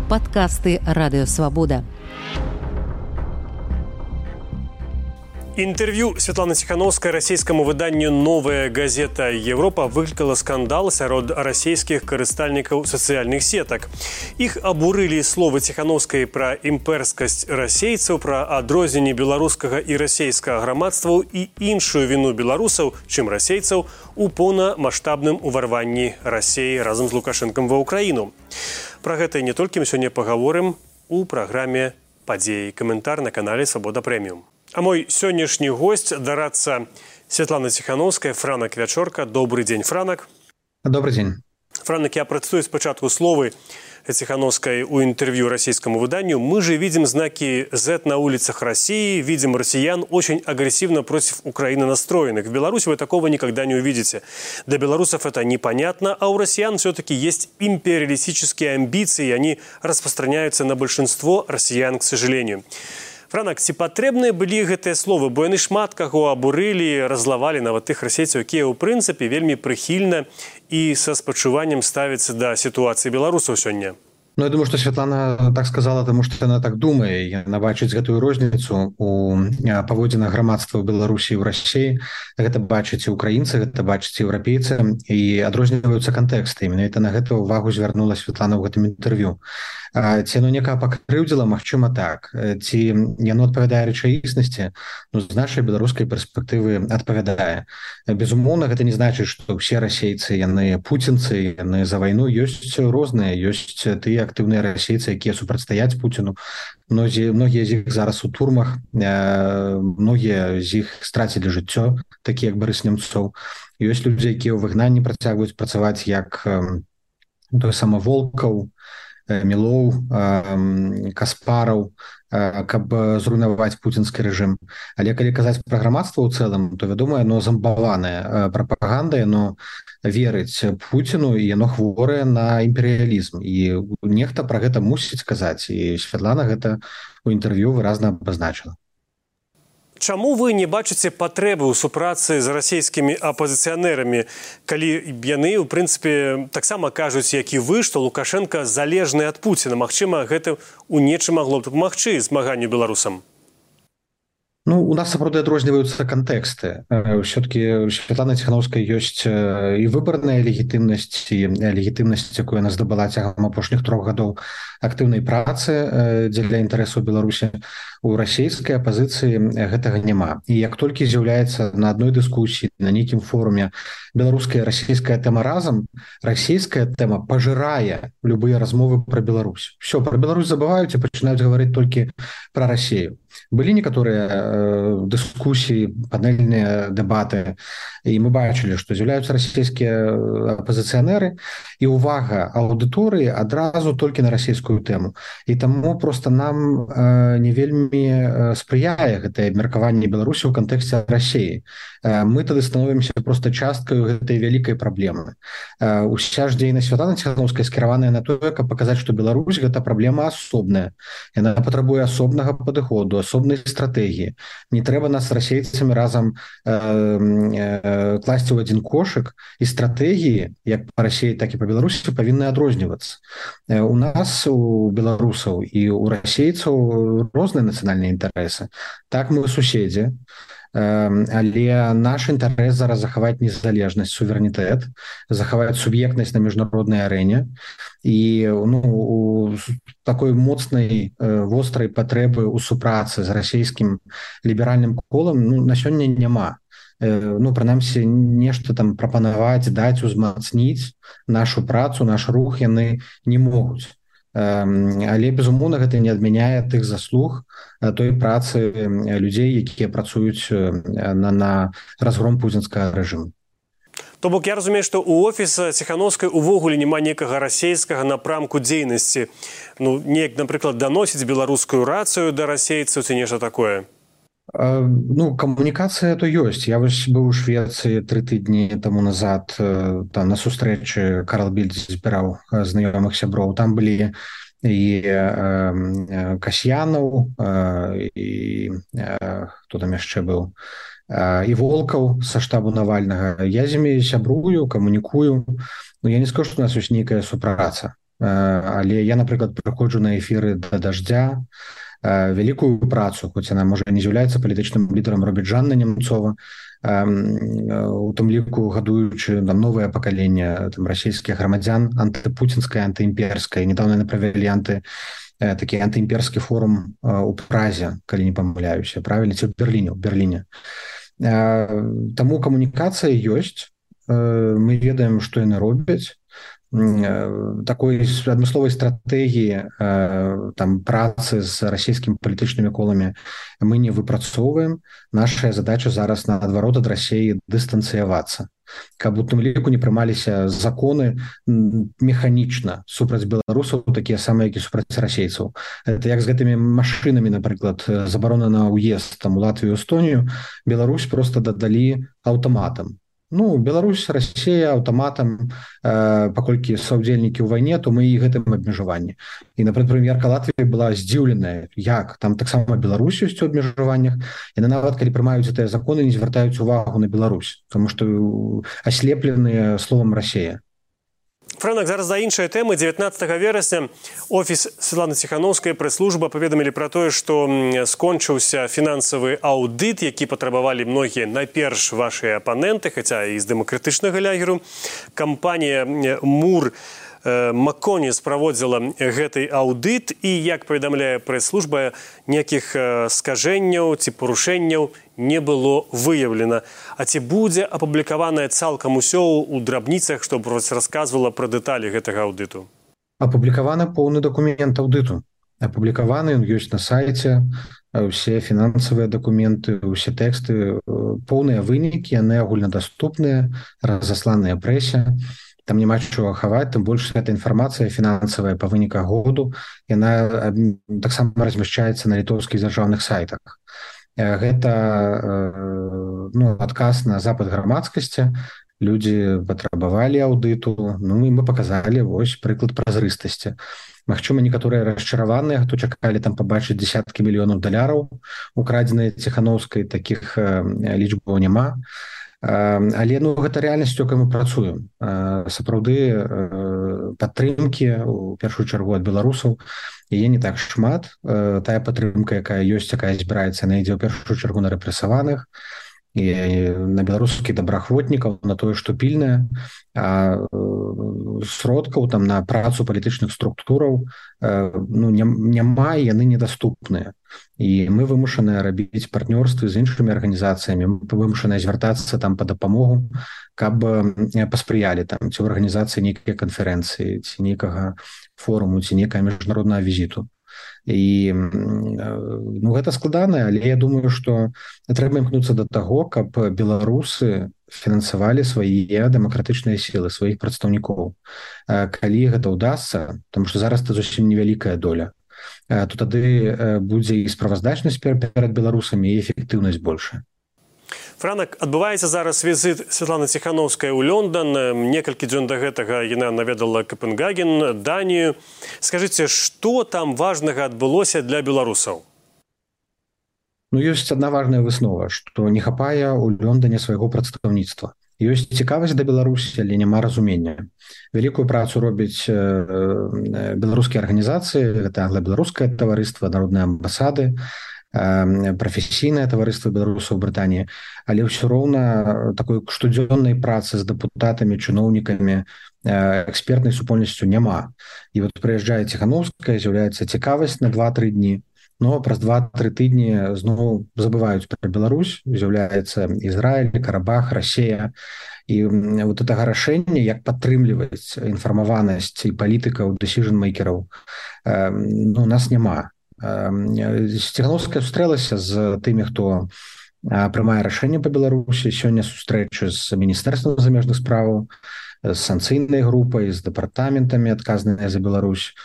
Падкасты Радыё Свабода. Інтэрв'ю Святланы Ціхановскай расійскаму выданню «Новая газета Европа» выклікала скандал сярод расійскіх карыстальнікаў сацыяльных сетак. Іх абурылі словы Ціхановскай пра імперскасць расейцаў, пра адрозненне беларускага і расейскага грамадстваў і іншую віну беларусаў, чым расейцаў, у поўнамаштабным уварванні Расіі разам з Лукашэнкам ва Ўкраіну. Пра гэта і не толькі мы сёння пагаворым у праграме «Падзеі». Каментар на канале «Свабода Прэміум». А мой сённяшні госць – дарадца Святлана Ціхановская, Франак Вячорка. Добрый день, Франак. Добрый день. Франак, я процитую спочатку словы Ціхановской у интервью российскому выданию. «Мы же видим знаки Z на улицах России, видим россиян очень агрессивно против Украины настроенных. В Беларуси вы такого никогда не увидите. Для белорусов это непонятно, а у россиян все-таки есть империалистические амбиции, и они распространяются на большинство россиян, к сожалению». Франак, ці патрэбныя былі гэтыя словы, бо яны шмат каго абурылі, разлавалі нават тых расейцаў, якія ў прынцыпе вельмі прыхільна і са спачуваннем ставяцца да сітуацыі беларусаў сёння. Ну, я думаю, что Светлана так сказала, потому что она так думает. Яна бачыць гэтую розніцу у паводзінах грамадства ў Беларусі і ў Расіі. Гэта бачаць і украінцы, гэта бачаць еўрапейцы, і адрозніваюцца кантэксты. Менавіта на гэта ўвагу звярнула Светлана ў гэтым інтэрв'ю. Ці яно некага пакрыўдзіла? Магчыма, так. Ці яно адпавядае рэчаіснасці? Ну, з нашай беларускай перспектывы адпавядае. Безумоўна, гэта не значыць, што ўсе расейцы, яны пуцінцы, яны за вайну. Ёсць розныя, ёсць тыя актыўныя расейцы, якія супрацьстаяць Пуціну. Многія з іх зараз у турмах, многія з іх страцілі жыццё, такія як Барыс Немцоў. Ёсць людзі, якія ў выгнанні працягваюць працаваць, як той самы Волкаў, Мілоў, Каспараў, каб зруйнаваць пуцінскі рэжым. Але калі казаць пра грамадства ў цэлым, то, вядома, яно замбаванае прапагандай, яно верыць Пуціну, і яно хворае на імперыялізм. І нехта пра гэта мусіць казаць. І Святлана гэта ў інтэрв'ю выразна абазначыла. Чаму вы не бачыце патрэбы ў супрацы з расійскімі апазіцыянерамі, калі яны, у прынцыпе, таксама кажуць, як і вы, што Лукашенко залежны ад Пуціна? Магчыма, гэта ў нечым магло б дапамагчы змаганню беларусам? Ну, у нас, сапраўды, адрозніваюцца кантэксты. Все-таки у Светланы Ціхановскай ёсць і выбарная легітымнасць, і легітымнасць, якую яна здабыла цягам апошніх 3 гадоў актыўнай працы дзеля інтарэсаў Беларусі. У расійскай апазіцыі гэтага няма. І як толькі з'яўляецца на адной дыскусіі, на нейкім форуме беларуская і расійская тэма разам, расійская тэма пажырае любыя размовы пра Беларусь. Все, пра Беларусь забываюць і пачынаюць гаварыць толькі пра Расію. Былі некаторыя дыскусіі, панельныя дэбаты, і мы бачылі, што з'яўляюцца расійскія апазіцыянеры, і ўвага аўдыторыі адразу толькі на расійскую тэму. І таму проста нам не вельмі спрыяе гэтае абмеркаванне Беларусі ў кантэксце Расіі. Мы тады становімся проста часткаю гэтай вялікай праблемы. Уся ж дзейнасць Святланы Ціхановскай скіраваная на тое, каб паказаць, што Беларусь гэта праблема асобная. Яна патрабуе асобнага падыходу, асобнай стратэгіі. Не трэба нас з расейцамі разам класці ў адзін кошык, і стратэгіі, як па Расіі, так і па Беларусі, павінны адрознівацца. У нас, у беларусаў і у расейцаў розныя нацыянальныя інтарэсы. Так, мы суседзі, але наш інтарэс зараз захаваць незалежнасць, суверэнітэт, захаваць суб'ектнасць на міжнароднай арэне, і у такой моцнай, вострай патрэбы ў супрацы з расійскім ліберальным колам на сёння няма. Прынамсі, нешта там прапанаваць, даць, узмацніць нашу працу, наш рух яны не могуць. Але, безумоўна, гэта не адмяняе тых заслуг той працы людзей, якія працуюць на разгром пуцінскага рэжыму. То бок, я разумею, што ў офіса Ціхановскай увогуле няма некага расейскага напрамку дзейнасці. Неяк, напрыклад, даносіць беларускую рацыю да расейцаў ці нешта такое? Камунікацыя то ёсць. Я вось быў у Швецыі 3 тыдні таму назад, там на сустрэчы Карл Більд збіраў знаёмых сяброў. Там былі і Касьянаў, і хто там яшчэ быў, і Волкаў са штабу Навальнага. Я з імі сябрую, камунікую. Я не скажу, што у нас ёсць нейкая супраца. але я, напрыклад, прыходжу на эфіры да даждзя, вялікую працу, хоць яна можа не з'яўляецца палітычным лідарам, робіць Жанна Немцова, у тым ліку гадуючы там новае пакаленне расійскіх грамадзян антыпуцінскае, антыімперскае. Недавно яны правялі такі антыімперскі форум у Празе, калі не памыляюся, правільна, ці ў Берліне. Таму камунікацыя ёсць, мы ведаем, што яны робяць. Такой адмысловай стратэгіі там працы з расійскімі палітычнымі коламі мы не выпрацоўваем. Наша задача зараз наадварот ад Расіі дыстанцыявацца, каб у тым ліку не прымаліся законы механічна супраць беларусаў, такія самыя, як і супраць расейцаў. Это як з гэтымі машынамі, напрыклад, забарона на ўезд там у Латвію, Эстонію, Беларусь просто дадалі аўтаматам. Беларусь, Расія аўтаматам, паколькі саўдзельнікі ў вайне, то мы і гэтым абмежаванні. І, напрыклад, прэм'ерка Латвіі была здзіўленая, як там таксама Беларусь ёсць у абмежаваннях. Яны нават, калі прымаюць гэтыя законы, не звяртаюць увагу на Беларусь, тому што аслепленыя словам Расія. Франак, зараз да іншай тэмы. 19 верасня офіс Святланы Ціханаўскай, прэс-служба паведамілі пра тое, што скончыўся фінансавы аўдыт, які патрабавалі многія найперш вашыя апаненты, хаця і з дэмакратычнага лягеру. Кампанія Мур Макконіс праводзіла гэты аўдыт, і, як паведамляе прэс-служба, ніякіх скажэнняў ці парушэнняў не было выяўлена. А ці будзе апублікаванае цалкам усё ў драбніцах, што расказвала пра дэталі гэтага аўдыту? Апублікаваны поўны дакумент аўдыту. Апублікаваны, ён ёсць на сайце, усе фінансавыя дакументы, усе тэксты, поўныя вынікі, яны агульнадаступныя, разасланыя прэсе. Там няма чого хаваць, тым больш гэта інфармацыя фінансавая па выніках году, яна таксама размяшчаецца на літоўскіх дзяржаўных сайтах. Гэта адказ на запыт грамадскасці, людзі патрабавалі аўдыту, і мы паказалі вось прыклад празрыстасці. Магчыма, некаторыя расчараваныя, хто чакалі там пабачыць дзесяткі мільёнаў даляраў, украдзеныя Ціханаўскай, такіх лічбаў няма. Але гэта рэальнасць, якой мы працуем. Сапраўды падтрымкі, у першую чаргу ад беларусаў, яе не так шмат. Тая падтрымка, якая ёсць, якая збіраецца, яна ідзе ў першую чаргу на рэпрэсаваных і на беларускіх добраахвотнікаў, на тое, што пільнае. Сродкаў там на працу палітычных структураў няма, яны недаступныя. І мы вымушаныя рабіць партнёрствы з іншымі арганізацыямі, мы вымушаныя звяртацца там па дапамогу, каб паспрыялі там ці ў арганізацыі нейкай канферэнцыі, ці нейкага форуму, ці нейкага міжнароднага візіту. І гэта складана, але я думаю, што трэба імкнуцца да таго, каб беларусы фінансавалі свае дэмакратычныя сілы, сваіх прадстаўнікоў. Калі гэта ўдасца, тому што зараз это зусім невялікая доля, то тады будзе і справаздачнасць перад беларусамі, і эфектыўнасць большая. Франак, адбываецца зараз візіт Святланы Ціханаўскай у Лондан. Некалькі дзён да гэтага яна наведала Капенгаген, Данію. Скажыце, што там важнага адбылося для беларусаў? Ёсць адна важная выснова, што не хапае ў Лондане свайго прадстаўніцтва. Ёсць цікавасць да Беларусі, але няма разумення. Вялікую працу робяць беларускія арганізацыі, гэта англо-беларускае таварыства, народныя амбасады, прафесійнае таварыства беларусаў у Брытаніі, але ўсё роўна такой штодзённай працы з дэпутатамі, чыноўнікамі, экспертнай супольнасцю няма. І вот прыязджае Ціханаўская, з'яўляецца цікавасць на 2-3 дні, но праз 2-3 тыдні зноў забываюць пра Беларусь, з'яўляецца Ізраіль, Карабах, Расія. І вот гэтага рашэння, як падтрымліваць інфармаванасць і палітыкаў, дэсіжн-мейкераў, у нас няма. Ціханаўская сустрэлася з тымі, хто прымае рашэнне па Беларусі. Сёння сустрэчы з міністэрствам замежных справаў, з санкцыйнай групай, з дэпартаментамі, адказныя за Беларусь.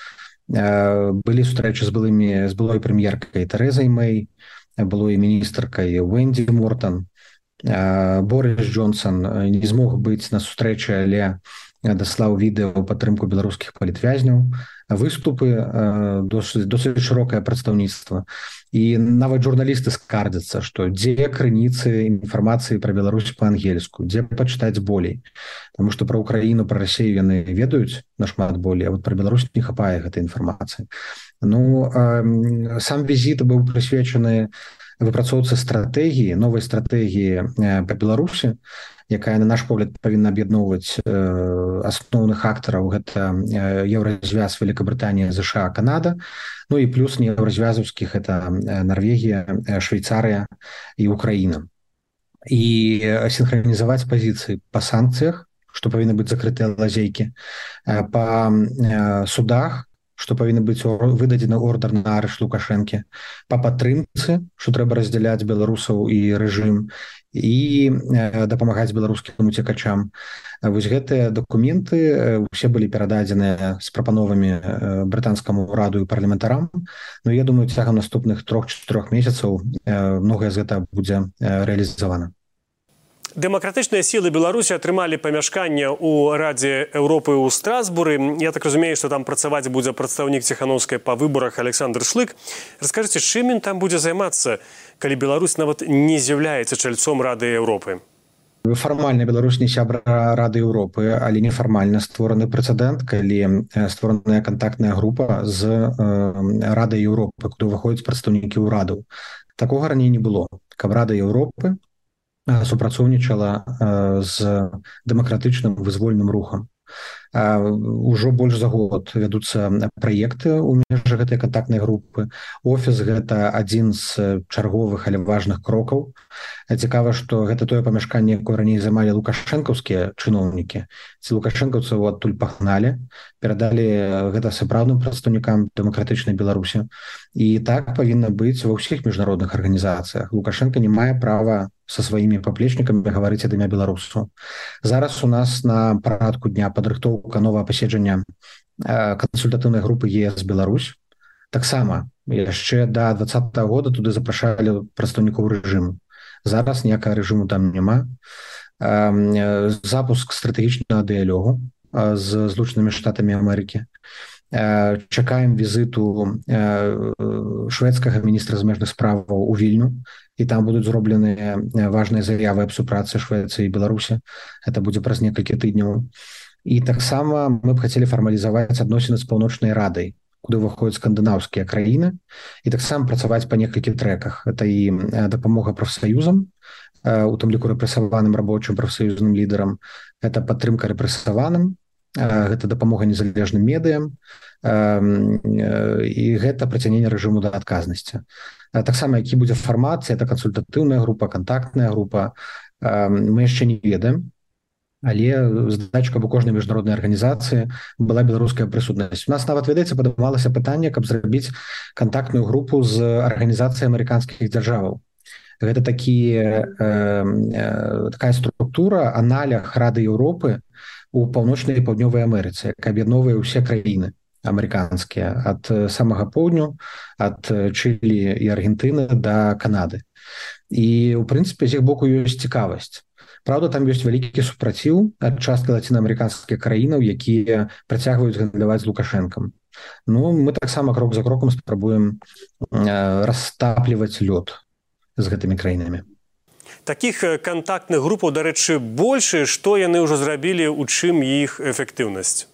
Былі сустрэчы з былой прэм'еркай Тэрэзай Мэй, былой міністаркай Венді Мортан. Борис Джонсон не змог быць на сустрэчы, але даслаў відэа ў падтрымку беларускіх палітвязняў, выступы, досыць шырокае прадстаўніцтва. І нават журналісты скардзяцца, што дзе крыніцы інфармацыі пра Беларусь па-ангельску, дзе пачытаць болей. Таму што пра Украіну, пра Расію яны ведаюць нашмат болей, а вот пра Беларусь не хапае гэтай інфармацыі. Сам візіт быў прысвечаны выпрацоўцы стратэгіі, новай стратэгіі па Беларусі, якая, на наш погляд, павінна аб'ядноўваць асноўных актараў. Гэта еўразвяз, Великабрытанія, ЗША, Канада, і плюс нееўразвязаўскіх, это Нарвегія, Швейцарыя і Украіна. І сінхранізаваць пазіцыі па санкцыях, што павінны быць закрытыя лазейкі, па судах, што павінны быць выдадзены ордар на арышт Лукашэнкі, па падтрымцы, што трэба раздзяляць беларусаў і рэжым, і дапамагаць беларускім уцекачам. Вось гэтыя дакументы усе былі перададзеныя з прапановамі брытанскаму ўраду і парламентарам. Я думаю, цягам наступных 3-4 месяцаў многае з гэтага будзе рэалізавана. Дэмакратычныя сілы Беларусі атрымалі памяшканне ў Радзе Еўропы ў Страсбуры. Я так разумею, што там працаваць будзе прадстаўнік Ціханаўскай па выбарах Александр Шлык. Раскажыце, чым ён там будзе займацца, калі Беларусь нават не з'яўляецца чальцом Рады Еўропы? Фармальна Беларусь не сябра Рады Еўропы, але нефармальна створаны прэцэдэнт, калі створаная кантактная група з Радай Еўропы, куды ўваходзяць прадстаўнікі ўрадаў. Такога раней не было, каб Рада Еўропы супрацоўнічала з дэмакратычным вызвольным рухам. Ужо больш за год вядуцца праекты ў межах гэтай кантактнай групы. Офіс — гэта адзін з чарговых, але важных крокаў. Цікава, што гэта тое памяшканне, якое раней займалі лукашэнкаўскія чыноўнікі. Ці лукашэнкаўцаў адтуль пагналі, перадалі гэта сапраўдным прадстаўнікам дэмакратычнай Беларусі. І так павінна быць ва ўсіх міжнародных арганізацыях. Лукашенко не мае права са сваімі паплечнікамі гаварыць ад імя беларусаў. Зараз у нас на парадку дня падрыхтоўка новага паседжання кансультатыўнай групы ЕС Беларусь. Таксама яшчэ да 2020 года туды запрашалі прадстаўнікоў рэжыму. Зараз ніякага рэжыму там няма. Запуск стратэгічнага дыялогу з Злучанымі Штатамі Амерыкі. Чакаем візіту шведскага міністра замежных справаў у Вільню, і там будуць зробленыя важныя заявы аб супрацы Швецыі і Беларусі. Это будзе праз некалькі тыдняў. І таксама мы б хацелі фармалізаваць адносіны з Паўночнай Радай, куды ўваходзяць скандынаўскія краіны, і таксама працаваць па некалькіх трэках. Это і дапамога прафсаюзам, у тым ліку рэпрэсаваным рабочым прафсаюзным лідарам, это падтрымка рэпрэсаваным, гэта дапамога незалежным медыям, і гэта прыцягненне рэжыму да адказнасці. Таксама, які будзе фармат, это кансультатыўная група, кантактная група, мы яшчэ не ведаем, але задача, каб у кожнай міжнароднай арганізацыі была беларуская прысутнасць. У нас нават, ведаеце, падымалася пытанне, каб зрабіць кантактную групу з арганізацыяй амерыканскіх дзяржаваў. Гэта такая структура, аналог Рады Еўропы у паўночнай і паўднёвай Амерыцы, якая аб'ядноўвае ўсе краіны амерыканскія, ад самага поўдню, ад Чылі і Аргентыны да Канады. І, у прынцыпе, з іх боку ёсць цікавасць. Праўда, там ёсць вялікі супраціў ад часткі лацінаамерыканскіх краінаў, якія працягваюць гандляваць з Лукашэнкам. Мы таксама крок за крокам спрабуем растапліваць лёд з гэтымі краінамі. Такіх кантактных групаў, дарэчы, больш, што яны ўжо зрабілі, у чым іх эфектыўнасць?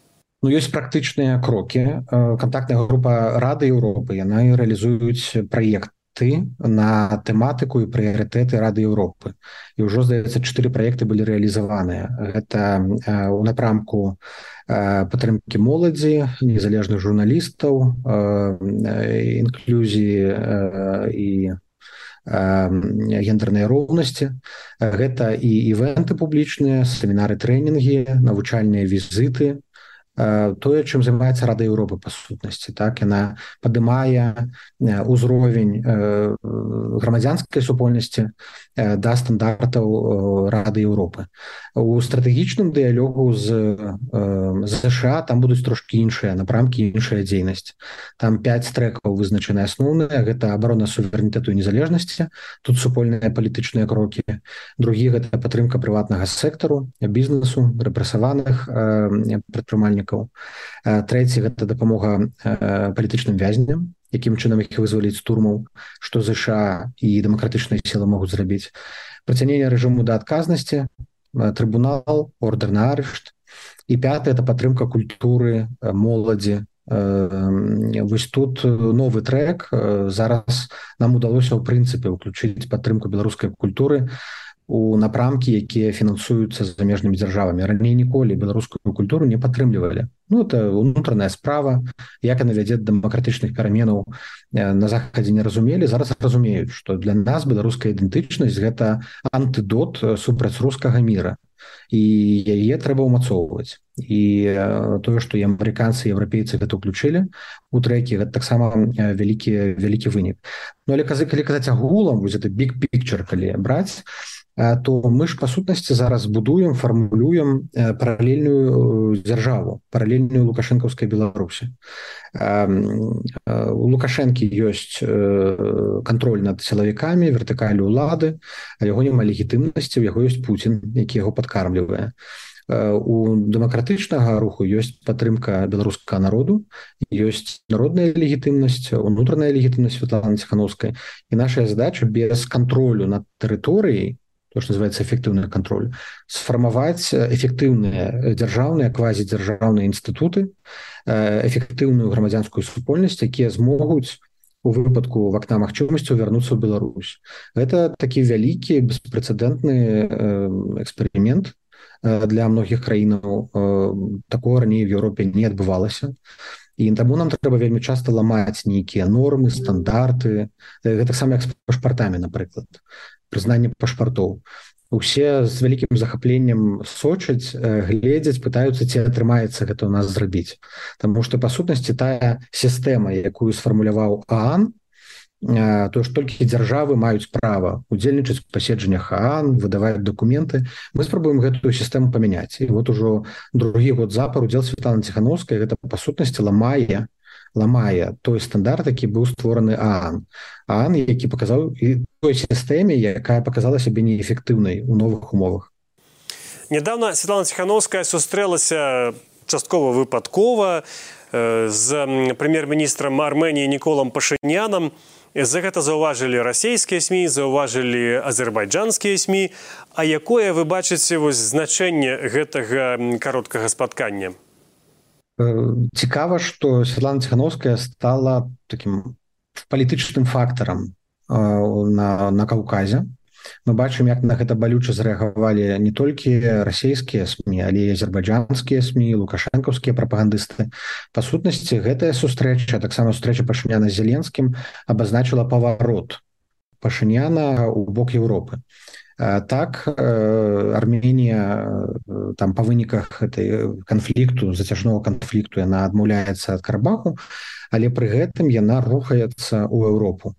Ёсць практычныя крокі. Кантактная група Рады Еўропы, яна рэалізуюць праекты на тэматыку і прыярытэты Рады Еўропы. І ўжо, здаецца, 4 праекты былі рэалізаваныя. Гэта ў напрамку падтрымкі моладзі, незалежных журналістаў, інклюзіі і гендернай роўнасці. Гэта і івенты публічныя, семінары, трэнінгі, навучальныя візіты, тое, чым займаецца Рада Еўропы па сутнасці. Так, яна падымае ўзровень грамадзянскай супольнасці да стандартаў Рады Еўропы. У стратэгічным дыялогу з США там будуць трошкі іншыя напрамкі, іншая дзейнасць. Там 5 трэкаў вызначаны асноўныя. Гэта абарона суверэнітэту і незалежнасці. Тут супольныя палітычныя крокі. Другі – гэта падтрымка прыватнага сектару, бізнесу, рэпрэсаваных прадпрымальнікаў. Трэці – гэта дапамога палітычным вязням, якім чынам іх вызваліць з турмаў, што ЗША і дэмакратычныя сілы могуць зрабіць. Прыцягненне рэжыму да адказнасці, трыбунал, ордэр на арышт. І пятае – это падтрымка культуры, моладзі. Вось тут новы трэк. Зараз нам удалося ў прынцыпе ўключыць падтрымку беларускай культуры у напрамкі, якія фінансуюцца замежнымі дзяржавамі. Раней ніколі беларускую культуру не падтрымлівалі. Это унутраная справа, як яна вядзе да дэмакратычных пераменаў, на Захадзе не разумелі, зараз разумеюць, што для нас беларуская ідэнтычнасць – гэта антыдот супраць рускага міра. І яе трэба ўмацоўваць. І тое, што і амерыканцы, і еўрапейцы гэта ўключылі у трэкі, гэта таксама вялікі вынік. Але калі казаць агулам, вось гэта big picture, калі браць, то мы ж, па сутнасці, зараз будуем, фармулюем паралельную дзяржаву, паралельную лукашэнкаўскай Беларусі. У Лукашэнкі ёсць кантроль над сілавікамі, вертыкаль улады, а яго няма легітымнасці, у яго ёсць Пуцін, які яго падкармлівае. У дэмакратычнага руху ёсць падтрымка беларускага народу, ёсць народная легітымнасць, унутраная легітымнасць Светланы Ціханаўскай. І наша задача без кантролю над тэрыторыяй, то, што называецца эфектыўны кантроль, сфармаваць эфектыўныя дзяржаўныя, квазідзяржаўныя інстытуты, эфектыўную грамадзянскую супольнасць, якія змогуць у выпадку вакна магчымасцяў вярнуцца ў Беларусь. Гэта такі вялікі, беспрэцэдэнтны эксперымент для многіх краінаў. Такого раней в Еўропе не адбывалася. І таму нам трэба вельмі часта ламаць нейкія нормы, стандарты. Гэта саме як з пашпартамі, напрыклад. Прызнанне пашпартоў. Усе з вялікім захапленнем сочаць, гледзяць, пытаюцца, ці атрымаецца гэта ў нас зрабіць. Таму што, па сутнасці, тая сістэма, якую сфармуляваў ААН, то, што толькі дзяржавы маюць права удзельнічаць у паседжаннях ААН, выдаваць дакументы, мы спрабуем гэтую сістэму памяняць. І вот ужо другі год запар удзел Светланы Ціханаўскай гэта, па сутнасці, ламае той стандарт, які быў створаны ААН. ААН, які паказаў і той сістэме, якая паказала сябе неэфектыўнай у новых умовах. Недавно Светлана Ціханаўская сустрэлася часткова выпадкова з прэм'ер-міністрам Арменіі Ніколам Пашынянам. За гэта заўважылі расійскія СМІ, заўважылі азербайджанскія СМІ. А якое вы бачыце значэнне гэтага кароткага спаткання? Цікава, што Светлана Ціханаўская стала такім палітычным фактарам на Каўказе. Мы бачым, як на гэта балюча зрэагавалі не толькі расійскія СМІ, але і азербайджанскія СМІ, лукашэнкаўскія прапагандысты. Па сутнасці, гэтая сустрэча, таксама сустрэча Пашыняна з Зеленскім, абазначыла паварот Пашыняна ў бок Еўропы. Так, Арменія там па выніках гэтай канфлікту, зацяжнога канфлікту, яна адмаўляецца ад Карабаху, але пры гэтым яна рухаецца ў Еўропу.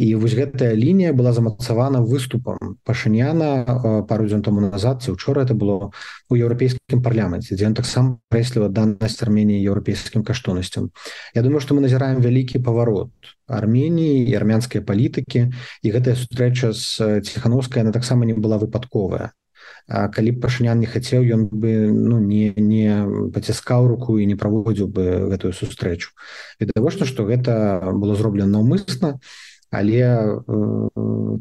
І вось гэтая лінія была замацавана выступам Пашыняна пару дзён таму назад, ці ўчора это было, у еўрапейскім парламенце, дзе ён таксама прэсліва данасць Арменіі еўрапейскім каштоўнасцям. Я думаю, што мы назіраем вялікі паварот Арменіі і армянскай палітыкі, і гэтая сустрэча з Ціханаўскай, яна таксама не была выпадковая. Калі б Пашынян не хацеў, ён бы не паціскаў руку і не праводзіў бы гэтую сустрэчу. Відавочна, што гэта было зроблена наўмысна, але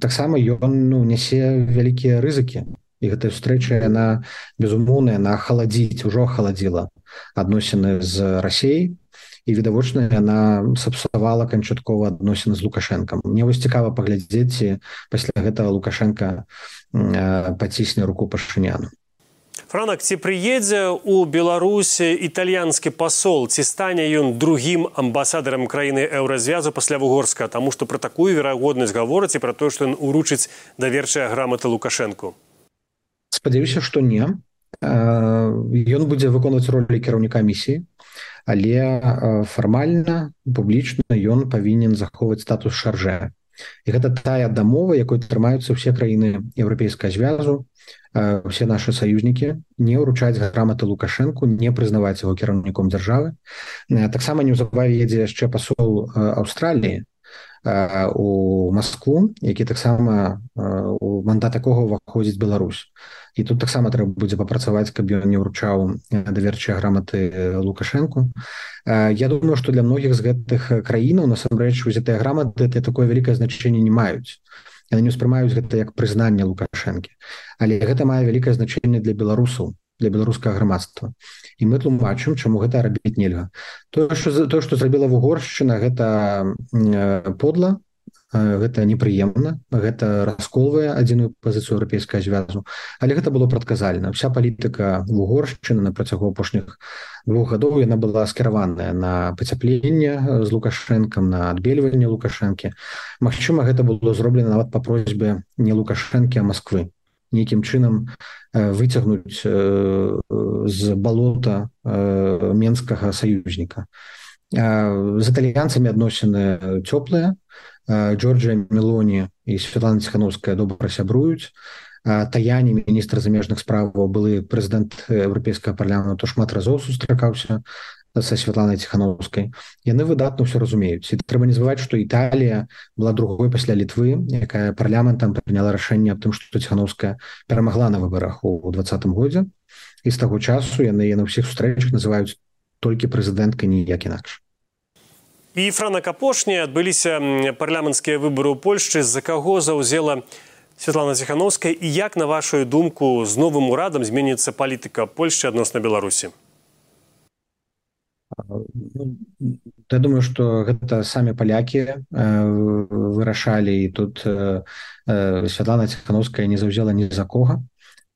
таксама ён нясе вялікія рызыкі. І гэтая сустрэча, яна, безумоўна, яна ужо ахаладзіла адносіны з Расіяй, і, відавочна, яна сапсавала канчаткова адносіны з Лукашэнкам. Мне вось цікава паглядзець, ці пасля гэтага Лукашэнка пацісне руку Пашыняну. Франак, ці прыедзе ў Беларусі італьянскі пасол, ці стане ён другім амбасадарам краіны Еўразвязу пасля Вугорска, таму што пра такую верагоднасць гавораць і пра тое, што ён уручыць даверчыя граматы Лукашэнку? Спадзяюся, што не. Ён будзе выконваць ролі кіраўніка місіі, але фармальна, публічна ён павінен захоўваць статус шаржэ. І гэта тая дамова, якой трымаюцца ўсе краіны Еўрапейскага звязу, все наши саюзнікі, не ўручаць граматы Лукашэнку, не прызнаваць яго кіраўніком дзяржавы. Таксама неўзабаве едзе яшчэ пасол Аўстраліі у Маскву, які таксама у мандат якога ўваходзіць Беларусь. І тут таксама трэба будзе папрацаваць, каб ён не ўручаў даверчыя граматы Лукашэнку. Я думаю, што для многіх з гэтых краінаў насамрэч узятыя граматы такое вялікае значэнне не маюць. Яны не ўспрымаюць гэта як прызнанне Лукашэнкі. Але гэта мае вялікае значэнне для беларусаў, для беларускага грамадства. І мы тлумачым, чаму гэта рабіць нельга. Тое, што зрабіла Угоршчына, гэта подла, гэта непрыемна, гэта расколвае адзіную пазіцыю Еўрапейскага звязу, але гэта было прадказальна. Вся палітыка Угоршчыны на працягу апошніх 2 гадоў яна была скіраваная на пацяпленне з Лукашэнкам, на адбельванне Лукашэнкі. Магчыма, гэта было зроблена нават па просьбе не Лукашэнкі, а Масквы. Нейкім чынам выцягнуць з балота менскага саюзніка. З італьянцамі адносіны цёплыя. Джорджія Мелоні і Святлана Ціхановская добра сябруюць. Таяні, міністр замежных справаў, былы прэзідэнт Еўрапейскага парламенту, шмат разоў сустракаўся са Святланай Ціхановскай. Яны выдатна ўсё разумеюць. І трэба не забываць, што Італія была другой пасля Літвы, якая парламентам прыняла рашэнне аб тым, што Ціхановская перамагла на выбарах у 2020 годзе. І з таго часу яны на ўсіх сустрэчах называюць толькі прэзідэнткай, ніяк інакш. І, Франак, апошнія адбыліся парламенцкія выбары ў Польшчы. За каго заўзела Святлана Ціхановская і як, на вашу думку, з новым урадам зменіцца палітыка Польшчы адносна Беларусі? Я думаю, што гэта самі палякі вырашалі, і тут Святлана Ціхановская не заўзела ні за кога.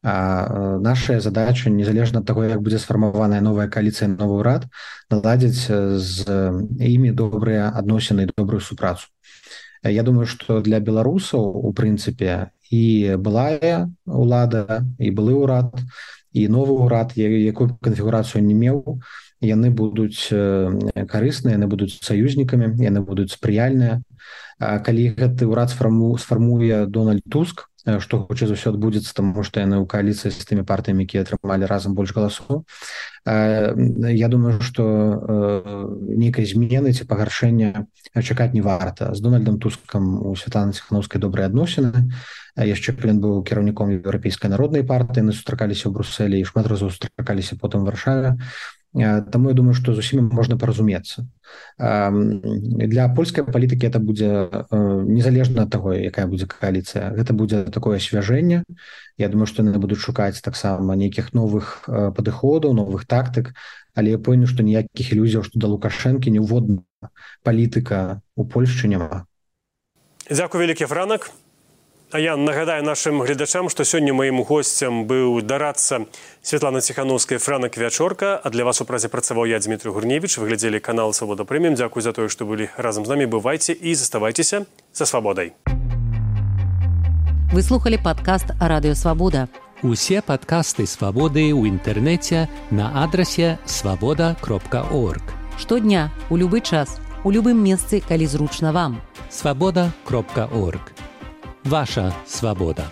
А наша задача, незалежна ад таго, як будзе сфармаваная новая кааліцыя, новы ўрад, наладзіць з імі добрыя адносіны і добрую супрацу. Я думаю, што для беларусаў, у прынцыпе, і былая ўлада, і былы ўрад, і новы ўрад, якую канфігурацыю не меў, яны будуць карысныя, яны будуць саюзнікамі, яны будуць спрыяльныя. Калі гэты ўрад сфармуе Дональд Туск, што хутчэй за ўсё адбудзецца, таму што яны ў кааліцыі з тымі партыямі, якія атрымалі разам больш галасоў. Я думаю, што нейкай змены ці пагаршэння чакаць не варта. З Дональдам Тускам у Святланы Ціхановскай добрыя адносіны. Яшчэ ён быў кіраўніком Еўрапейскай народнай партыі, яны сустракаліся ў Брусэлі і шмат разоў сустракаліся потым у Варшаве. Таму я думаю, што з усімі можна паразумецца. Для польскай палітыкі это будзе незалежна ад таго, якая будзе кааліцыя. Гэта будзе такое асвяжэнне. Я думаю, што яны будуць шукаць таксама нейкіх новых падыходаў, новых тактык, але я пэўны, што ніякіх ілюзіяў, што да Лукашэнкі неўводна палітыка ў Польшчы няма. Дзякуй вялікі, Франак. А я нагадаю нашим глядачам, што сёння маім госцем быў дарадца Святланы Ціхановскай Франак Вячорка, а для вас у празе працаваў я, Дмітрий Гурневіч. Вы глядзелі канал «Свабода Прэміум». Дзякуй за тое, што былі разам з намі. Бывайце і заставайцеся за свабодай. Вы слухали падкаст «Радыё Свабода». Усе падкасты «Свабоды» ў інтэрнэце на адрасе свабода.орг. Штодня, у любы час, у любым месцы, калі зручна вам. Свабода.орг. Ваша свобода.